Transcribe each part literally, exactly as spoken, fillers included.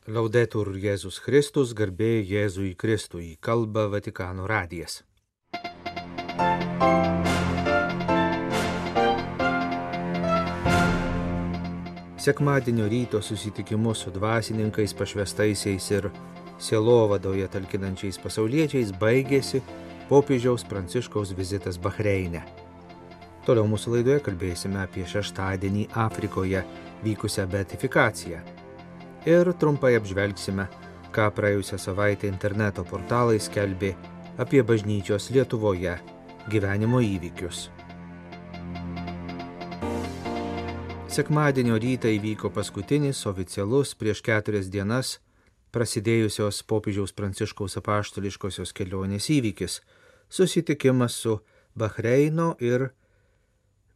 Laudetur Jėzus Kristus, garbė Jėzui Kristui, kalba Vatikano radijas. Sekmadienio ryto susitikimus su dvasininkais, pašvestaisiais ir sielovadoje talkinančiais pasauliečiais baigėsi popiežiaus Pranciškaus vizitas Bahreine. Toliau mūsų laidoje kalbėsime apie šeštadienį Afrikoje vykusią beatifikaciją. Ir trumpai apžvelgsime, ką praėjusią savaitę interneto portalai skelbė apie bažnyčios Lietuvoje gyvenimo įvykius. Sekmadienio rytą įvyko paskutinis oficialus prieš keturias dienas prasidėjusios popiežiaus Pranciškaus apaštališkosios kelionės įvykis – susitikimas su Bahreino ir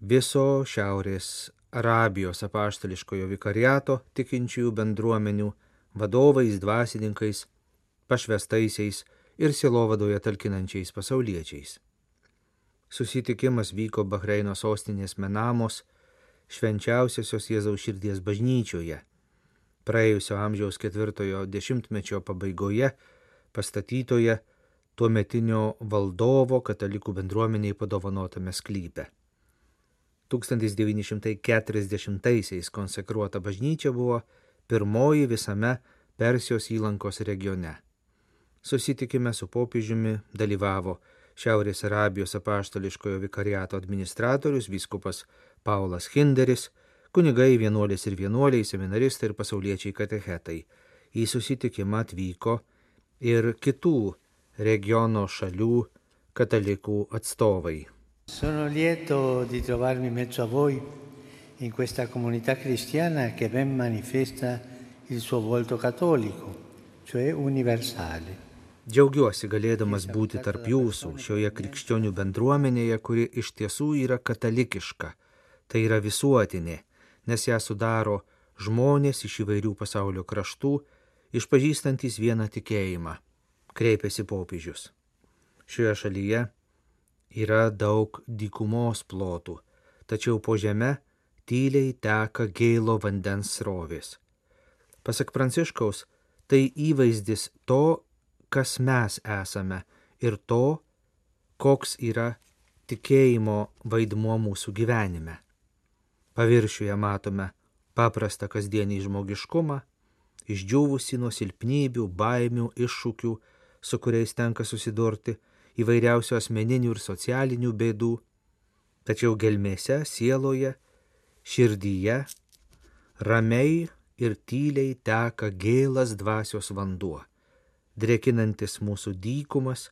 viso Šiaurės Arabijos apaštališkojo vikariato tikinčiųjų bendruomenių vadovais, dvasininkais, pašvestaisiais ir sielovadoje talkinančiais pasauliečiais. Susitikimas vyko Bahreino sostinės Menamos švenčiausiosios Jėzaus širdies bažnyčioje, praėjusio amžiaus ketvirtojo dešimtmečio pabaigoje pastatytoje tuometinio valdovo katalikų bendruomeniai padovanotame sklype. tūkstantis devyni šimtai keturiasdešimtaisiais konsekruota bažnyčia buvo pirmoji visame Persijos įlankos regione. Susitikime su popiežiumi dalyvavo Šiaurės Arabijos apaštališkojo vikariato administratorius vyskupas Paulas Hinderis, kunigai, vienuolės ir vienuoliai, seminaristai ir pasauliečiai katechetai. Į susitikimą atvyko ir kitų regiono šalių katalikų atstovai. Sono lieto di trovarmi in mezzo a voi in questa comunità cristiana che ben manifesta il suo volto cattolico, cioè universale. Džiaugiuosi galėdamas būti tarp jūsų šioje krikščionių bendruomenėje, kuri iš tiesų yra katalikiška, tai yra visuotinė, nes ją sudaro žmonės iš įvairių pasaulio kraštų, išpažįstantys vieną tikėjimą, kreipėsi popiežius. Šioje šalyje yra daug dykumos plotų, tačiau po žeme tyliai teka gėlo vandens srovės. Pasak Pranciškaus, tai įvaizdis to, kas mes esame ir to, koks yra tikėjimo vaidmuo mūsų gyvenime. Paviršiuje matome paprastą kasdienį žmogiškumą, išdžiūvusi nuo silpnybių, baimių, iššūkių, su kuriais tenka susidurti, įvairiausių asmeninių ir socialinių bėdų, tačiau gelmėse, sieloje, širdyje, ramiai ir tyliai teka gėlas dvasios vanduo, drėkinantis mūsų dykumas,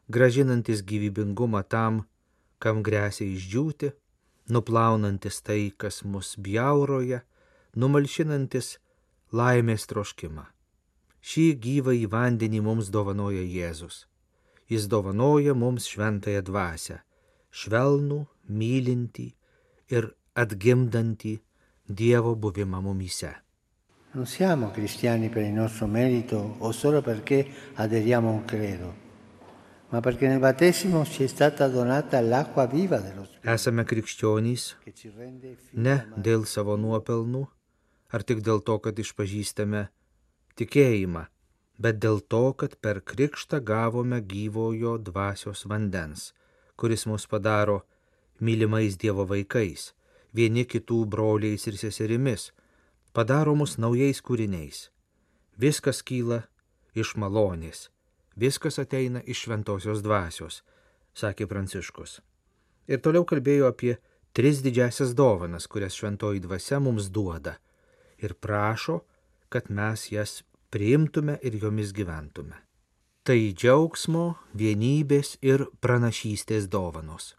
gražinantis gyvybingumą tam, kam gresia išdžiūti, nuplaunantis tai, kas mus bjauroja, numalšinantis laimės troškimą. Šį gyvąjį vandenį mums dovanoja Jėzus. Jis dovanoja mums šventąją dvasią, švelnų, mylintį ir atgimdantį Dievo buvimą mumyse. Non siamo cristiani per il nostro merito o solo perché aderiamo a un credo, ma perché nel battesimo ci è stata donata l'acqua viva dello Spirito. Esame krikščionys ne dėl savo nuopelnų, ar tik dėl to, kad išpažįstame tikėjimą, bet dėl to, kad per krikštą gavome gyvojo dvasios vandens, kuris mus padaro mylimais Dievo vaikais, vieni kitų broliais ir seserimis, padaro mus naujais kūriniais. Viskas kyla iš malonės, viskas ateina iš šventosios dvasios, sakė Pranciškus. Ir toliau kalbėjo apie tris didžiasias dovanas, kurias šventoji dvasia mums duoda, ir prašo, kad mes jas priimtume ir jomis gyventume. Tai džiaugsmo, vienybės ir pranašystės dovanos.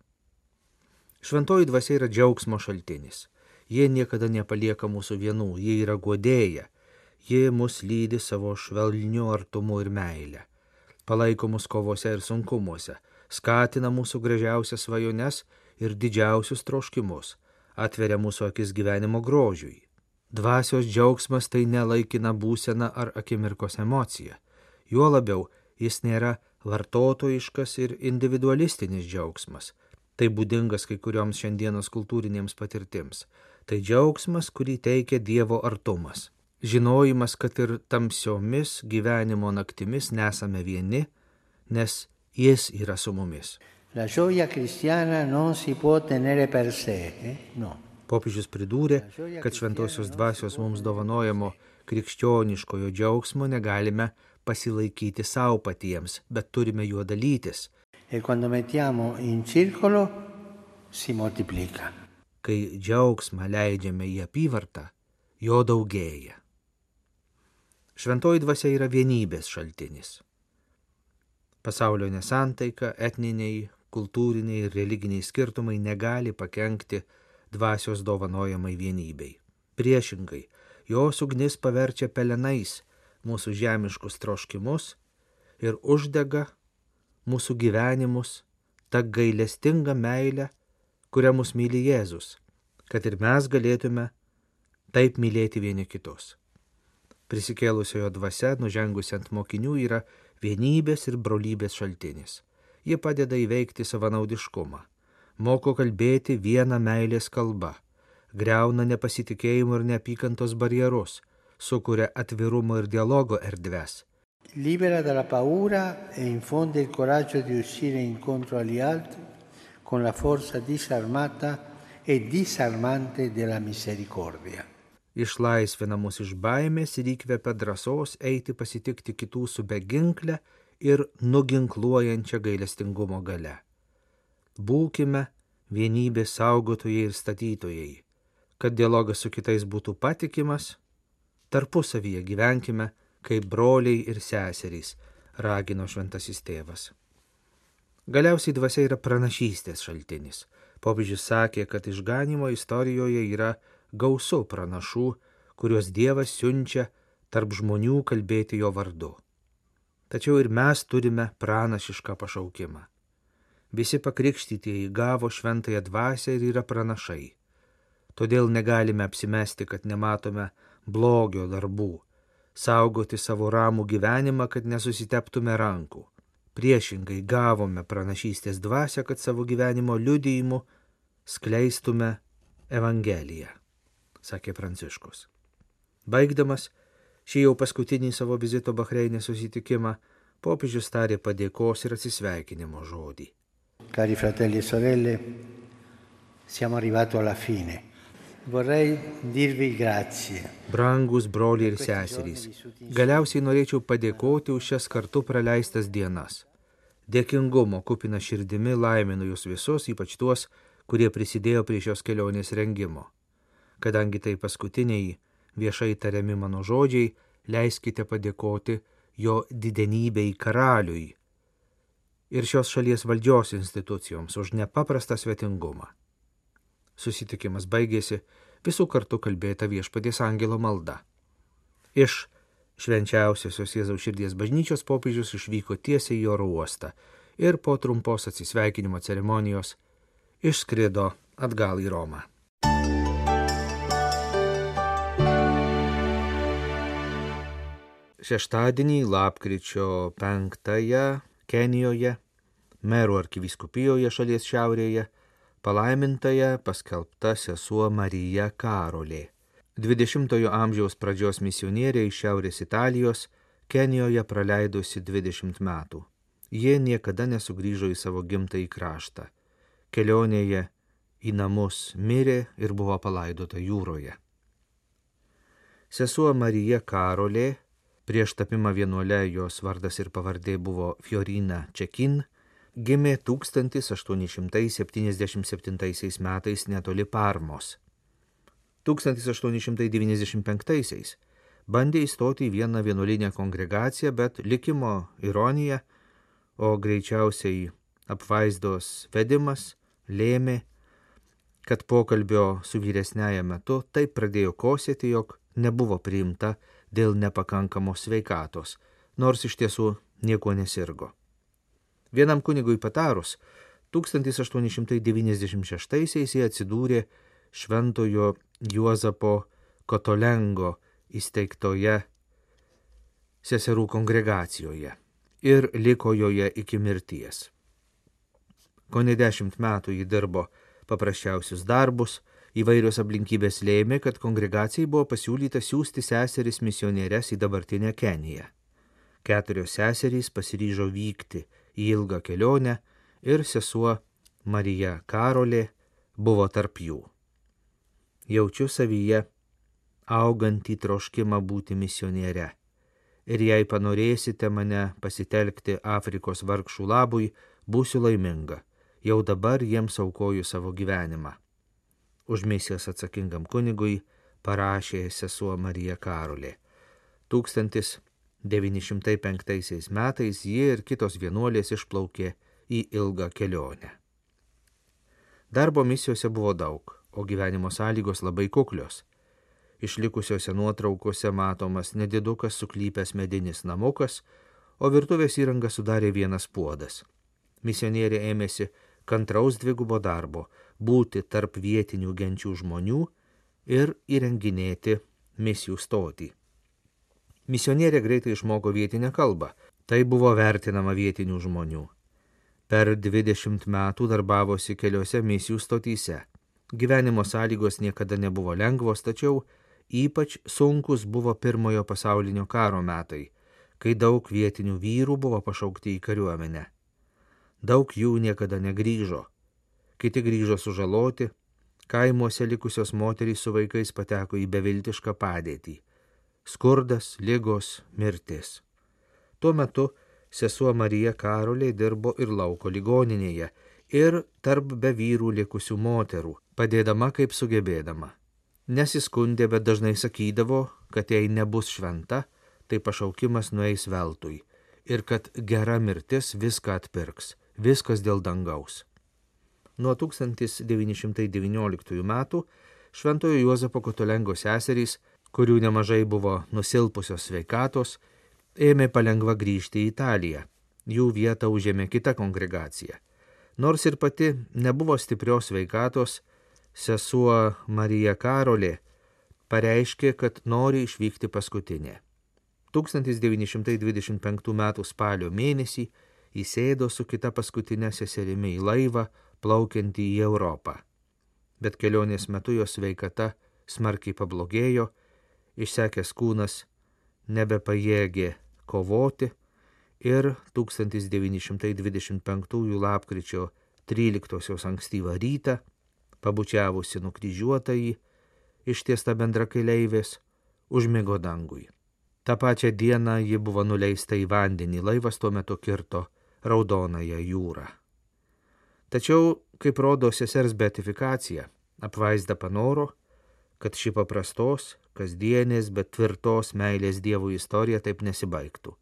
Šventoji dvasia yra džiaugsmo šaltinis. Jie niekada nepalieka mūsų vienų, jie yra guodėja, jie mus lydi savo švelniu artumu ir meile, palaiko mus kovose ir sunkumuose, skatina mūsų gražiausias svajones ir didžiausius troškimus, atveria mūsų akis gyvenimo grožiui. Dvasios džiaugsmas tai nelaikina būsena ar akimirkos emocija. Juo labiau jis nėra vartotojiškas ir individualistinis džiaugsmas. Tai būdingas kai kurioms šiandienos kultūrinėms patirtims. Tai džiaugsmas, kurį teikia Dievo artumas. žinojimas, kad ir tamsiomis gyvenimo naktimis nesame vieni, nes Jis yra su mumis. La gioia cristiana non si può tenere per sé, eh? No. Popiežius pridūrė, kad šventosios dvasios mums dovanojamo krikščioniškojo džiaugsmo negalime pasilaikyti savo patiems, bet turime juo dalytis. E quando mettiamo in circolo si moltiplica. Kai džiaugsmą leidžiame į apyvartą, jo daugėja. Šventoji dvasia yra vienybės šaltinis. Pasaulio nesantaika, etniniai, kultūriniai ir religiniai skirtumai negali pakenkti dvasios dovanojamai vienybei. Priešingai, jos ugnis paverčia pelenais mūsų žemiškus troškimus ir uždega mūsų gyvenimus ta gailestinga meilė, kurią mus myli Jėzus, kad ir mes galėtume taip mylėti vieni kitus. Prisikėlusiojo dvasia, nužengusi ant mokinių, yra vienybės ir brolybės šaltinis. Ji padeda įveikti savanaudiškumą, moko kalbėti vieną meilės kalbą, griauna nepasitikėjimo ir neapykantos barjerus, sukuria atvirumo ir dialogo erdves. Libera dalla paura e infonde il coraggio di uscire incontro agli altri con la forza disarmata e disarmante della misericordia. Išlaisvina mus iš baimės ir įkvepia drąsos eiti pasitikti kitų su beginkle ir nuginkluojančia gailestingumo galia. Būkime vienybės saugotojai ir statytojai, kad dialogas su kitais būtų patikimas, tarpusavyje gyvenkime kaip broliai ir seserys, ragino šventasis tėvas. Galiausiai dvasia yra pranašystės šaltinis. Popiežius sakė, kad išganymo istorijoje yra gausu pranašų, kuriuos Dievas siunčia tarp žmonių kalbėti jo vardu. Tačiau ir mes turime pranašišką pašaukimą. Visi pakrikštytieji gavo šventąją dvasią ir yra pranašai. Todėl negalime apsimesti, kad nematome blogio darbų, saugoti savo ramų gyvenimą, kad nesusiteptume rankų. Priešingai gavome pranašystės dvasią, kad savo gyvenimo liudijimu skleistume Evangeliją, sakė Pranciškus. Baigdamas šį jau paskutinį savo vizito Bahreinė susitikimą, popiežius tarė padėkos ir atsisveikinimo žodį. Cari fratelli e sorelle, siamo arrivati alla fine. Vorrei dirvi grazie. Brangus broliai ir seserys, galiausiai norėčiau padėkoti už šias kartu praleistas dienas. Dėkingumo kupina širdimi laiminu jūs visus, ypač tuos, kurie prisidėjo prie šios kelionės rengimo. Kadangi tai paskutiniai viešai tariami mano žodžiai, leiskite padėkoti jo didenybei karaliui ir šios šalies valdžios institucijoms už nepaprastą svetingumą. Susitikimas baigėsi visų kartu kalbėta Viešpaties angelo malda. Iš švenčiausiosios Jėzaus širdies bažnyčios popiežius išvyko tiesiai į oro uostą ir po trumpos atsisveikinimo ceremonijos išskrido atgal į Romą. Šeštadienį, lapkričio penktąją, Kenijoje, Merų arkivyskupijoje šalies šiaurėje, palaimintąją paskelbta sesuo Marija Karolė. dvidešimtojo amžiaus pradžios misionierė iš Šiaurės Italijos Kenijoje praleidusi dvidešimt metų. Jie niekada nesugrįžo į savo gimtąjį kraštą. Kelionėje į namus mirė ir buvo palaidota jūroje. Sesuo Marija Karolė, prieš tapimą vienuole jos vardas ir pavardė buvo Fiorina Čekin, gimė tūkstantis aštuoni šimtai septyniasdešimt septintaisiais metais netoli Parmos. tūkstantis aštuoni šimtai devyniasdešimt penktaisiais bandė įstoti į vieną vienuolinę kongregaciją, bet likimo ironija, o greičiausiai apvaizdos vedimas lėmė, kad pokalbio su vyresniaja metu taip pradėjo kosėti, jog nebuvo priimta dėl nepakankamos sveikatos, nors iš tiesų nieko nesirgo. Vienam kunigui patarus, tūkstantis aštuoni šimtai devyniasdešimt šeštaisiais jie atsidūrė šventojo Juozapo Kotolengo įsteigtoje seserų kongregacijoje ir liko joje iki mirties. Kone dešimt metų ji dirbo paprasčiausius darbus, Įvairios aplinkybės lėmė, kad kongregacijai buvo pasiūlyta siųsti seseris misionierės į dabartinę Keniją. Keturios seserys pasiryžo vykti į ilgą kelionę ir sesuo Marija Karolė buvo tarp jų. Jaučiu savyje augantį troškimą būti misioniere. Ir jei panorėsite mane pasitelkti Afrikos vargšų labui, būsiu laiminga. Jau dabar jiems aukoju savo gyvenimą. Už misijas atsakingam kunigui parašė sesuo Marija Karolė. tūkstantis devyni šimtai penktaisiais metais ji ir kitos vienuolės išplaukė į ilgą kelionę. Darbo misijose buvo daug, o gyvenimo sąlygos labai kuklios. Išlikusiose nuotraukose matomas nedidukas suklypęs medinis namukas, o virtuvės įrangą sudarė vienas puodas. Misionierė ėmėsi kantraus dvigubo darbo – būti tarp vietinių genčių žmonių ir įrenginėti misijų stotį. Misionierė greitai išmoko vietinę kalbą, tai buvo vertinama vietinių žmonių. Per dvidešimt metų darbavosi keliose misijų stotyse. Gyvenimo sąlygos niekada nebuvo lengvos, tačiau ypač sunkus buvo pirmojo pasaulinio karo metai, kai daug vietinių vyrų buvo pašaukti į kariuomenę. Daug jų niekada negrįžo. Kiti grįžo sužaloti, kaimuose likusios moterys su vaikais pateko į beviltišką padėtį. Skurdas, ligos, mirtis. Tuo metu sesuo Marija Karolė dirbo ir lauko ligoninėje, ir tarp be vyrų likusių moterų, padėdama kaip sugebėdama. Nesiskundė, bet dažnai sakydavo, kad jei nebus šventa, tai pašaukimas nueis veltui ir kad gera mirtis viską atpirks, viskas dėl dangaus. Nuo tūkstantis devyni šimtai devynioliktųjų metų Šventojo Juozapo Kotolengo seserys, kurių nemažai buvo nusilpusios sveikatos, ėmė palengva grįžti į Italiją. Jų vietą užėmė kita kongregacija. Nors ir pati nebuvo stiprios sveikatos, sesuo Marija Karolė pareiškė, kad nori išvykti paskutinė. tūkstantis devyni šimtai dvidešimt penktų metų spalio mėnesį įsėdo su kita paskutinė seserimi į laivą, plaukiantį į Europą. Bet kelionės metu jos sveikata smarkiai pablogėjo, išsekęs kūnas nebepajėgė kovoti ir tūkstantis devyni šimtai dvidešimt penktųjų lapkričio tryliktosios ankstyvą rytą, pabučiavusi nukryžiuotąjį, ištiesta bendrakeleivės, užmigo dangui. Ta pačią dieną ji buvo nuleista į vandenį, laivas tuo metu kirto Raudonąją jūrą. Tačiau, kaip rodo sesers beatifikacija, apvaizda panoro, kad ši paprastos, kasdienės, bet tvirtos meilės Dievui istorija taip nesibaigtų.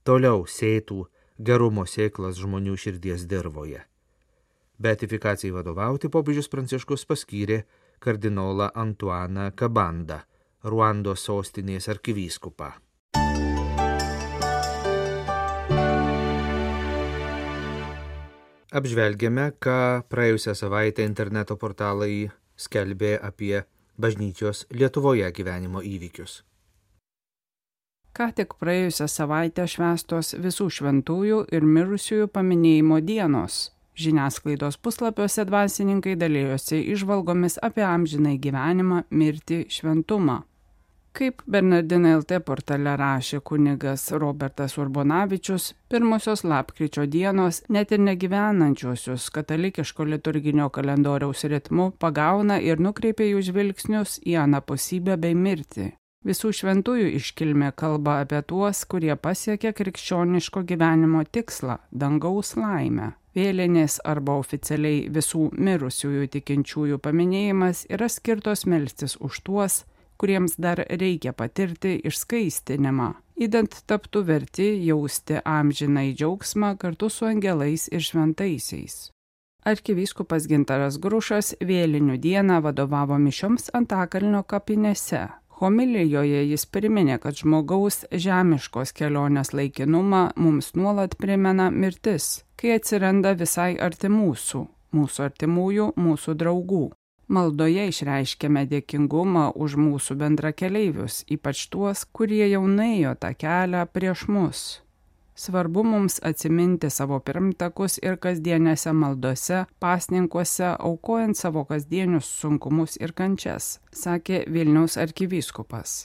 Toliau sėtų gerumo sėklas žmonių širdies dirvoje. Beatifikacijai vadovauti popiežius Pranciškus paskyrė kardinolą Antuaną Kabandą, Ruandos sostinės arkivyskupą. Apžvelgėme, ką praėjusią savaitę interneto portalai skelbė apie bažnyčios Lietuvoje gyvenimo įvykius. Ką tik praėjusią savaitę švęstos visų šventųjų ir mirusiųjų paminėjimo dienos. Žiniasklaidos puslapiuose dvasininkai dalėjosi įžvalgomis apie amžinai gyvenimą, mirtį, šventumą. Kaip Bernardinai L T portale rašė kunigas Robertas Urbonavičius, pirmosios lapkričio dienos net ir negyvenančiosius katalikiško liturginio kalendoriaus ritmu pagauna ir nukreipia jų žvilgsnius į anapusybę bei mirtį. Visų šventųjų iškilmė kalba apie tuos, kurie pasiekė krikščioniško gyvenimo tikslą – dangaus laimę. Vėlinės arba oficialiai visų mirusiųjų tikinčiųjų paminėjimas yra skirtos melstis už tuos, kuriems dar reikia patirti išskaistinimą, idant taptų verti jausti amžinai džiaugsmą kartu su angelais ir šventaisiais. Arkivyskupas Gintaras Grušas vėlinių dieną vadovavo mišioms Antakalnio kapinėse. Homilijoje jis priminė, kad žmogaus žemiškos kelionės laikinumą mums nuolat primena mirtis, kai atsiranda visai arti mūsų, mūsų artimųjų, mūsų draugų. Maldoje išreiškėme dėkingumą už mūsų bendrakeleivius, ypač tuos, kurie jau nuėjo tą kelią prieš mus. Svarbu mums atsiminti savo pirmtakus ir kasdienėse maldose, pasninkuose, aukojant savo kasdienius sunkumus ir kančias, sakė Vilniaus arkivyskupas.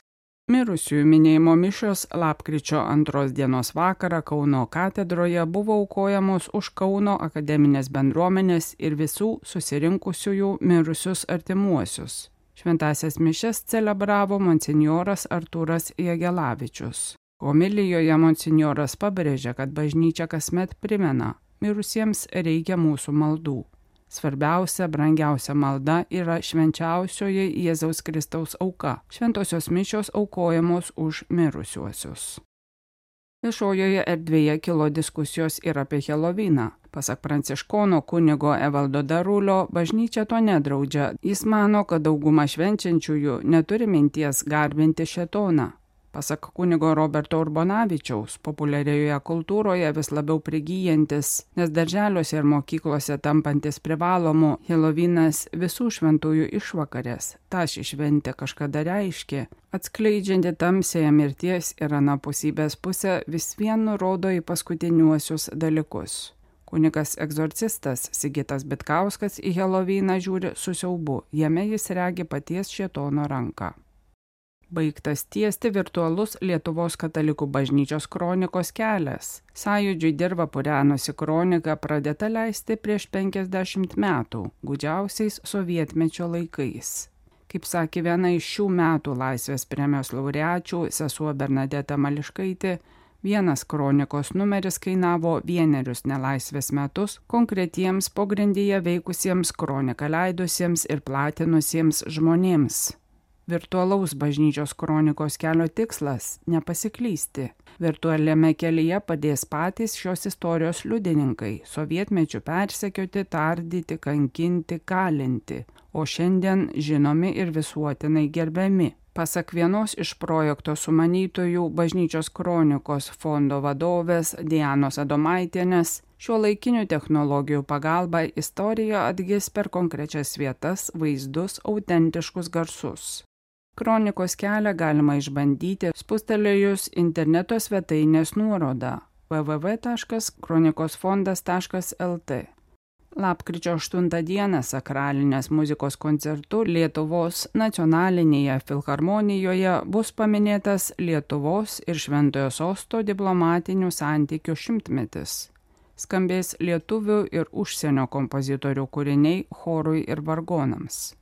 Mirusiųjų minėjimo mišios lapkričio antros dienos vakarą Kauno katedroje buvo aukojamos už Kauno akademinės bendruomenės ir visų susirinkusiųjų mirusius artimuosius. Šventąsias mišias celebravo monsinjoras Artūras Jagelavičius. Homilijoje monsinjoras pabrėžė, kad bažnyčia kasmet primena, mirusiems reikia mūsų maldų. Svarbiausia, brangiausia malda yra švenčiausioji Jėzaus Kristaus auka. Šventosios mišios aukojamos už mirusiuosius. Viešojoje erdvėje kilo diskusijos ir apie Helovyną. Pasak pranciškono kunigo Evaldo Darulio, bažnyčia to nedraudžia. Jis mano, kad dauguma švenčiančiųjų neturi minties garbinti šėtoną. Pasak kunigo Roberto Urbonavičiaus, populiarioje kultūroje vis labiau prigyjantis, nes darželiuose ir mokyklose tampantis privalomu, Helovynas visų šventųjų išvakarės, ta ši šventė kažkada reiškė, atskleidžianti tamsiąją mirties ir anapusybės pusę, vis vien nurodo į paskutiniuosius dalykus. Kunigas egzorcistas Sigitas Bitkauskas į Helovyną žiūri su siaubu, jame jis regi paties šėtono ranką. Baigtas tiesti virtualus Lietuvos katalikų bažnyčios kronikos kelias. Sąjūdžiui dirva purenusi kronika pradėta leisti prieš penkiasdešimt metų, gūdžiausiais sovietmečio laikais. Kaip sakė viena iš šių metų Laisvės premijos laureačių, sesuo Bernadeta Mališkaitė, vienas kronikos numeris kainavo vienerius nelaisvės metus konkretiems pogrindyje veikusiems kroniką leidusiems ir platinusiems žmonėms. Virtualaus bažnyčios kronikos kelio tikslas – nepasiklysti. Virtualiame kelyje padės patys šios istorijos liudininkai, sovietmečiu persekioti, tardyti, kankinti, kalinti, o šiandien žinomi ir visuotinai gerbiami. Pasak vienos iš projekto sumanytojų bažnyčios kronikos fondo vadovės Dianos Adomaitienės, šiuolaikinių technologijų pagalba istorija atgis per konkrečias vietas, vaizdus, autentiškus garsus. Kronikos kelią galima išbandyti spustelėjus interneto svetainės nuorodą w w w taškas kronikosfondas taškas l t. Lapkričio aštuntą dieną sakralinės muzikos koncertu Lietuvos nacionalinėje filharmonijoje bus paminėtas Lietuvos ir Šventojo Sosto diplomatinių santykių šimtmetis. Skambės lietuvių ir užsienio kompozitorių kūriniai chorui ir vargonams.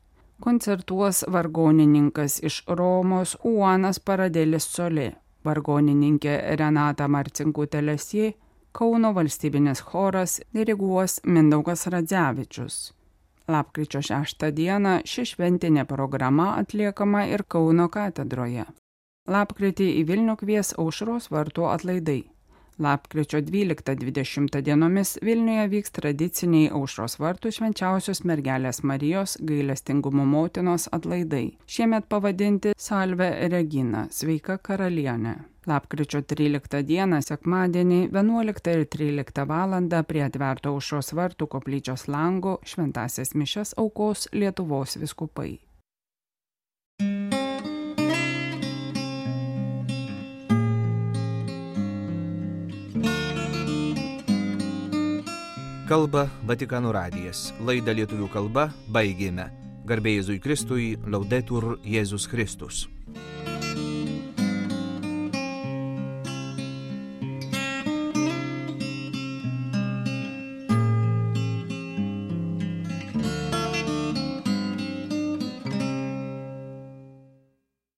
Koncertuos vargonininkas iš Romos Juanas Paradelis Solė, vargonininkė Renata Marcinkutė-Lesjė, Kauno valstybinis choras diriguos Mindaugas Radzevičius. Lapkričio šeštą dieną ši šventinė programa atliekama ir Kauno katedroje. Lapkritį į Vilnių kvies Aušros vartų atlaidai. Lapkričio dvyliktą dvidešimtą dienomis Vilniuje vyks tradiciniai Aušros vartų švenčiausios mergelės Marijos gailestingumo motinos atlaidai. Šiemet pavadinti Salve Regina, sveika karalienė. Lapkričio tryliktą dieną sekmadienį vienuoliktą ir tryliktą valandą prie atverto Aušros vartų koplyčios lango šventąsias mišias aukos Lietuvos vyskupai. Kalba Vatikano radijas. Laidą lietuvių kalba baigėme. Garbė Jėzui Kristui, Laudetur Jėzus Kristus.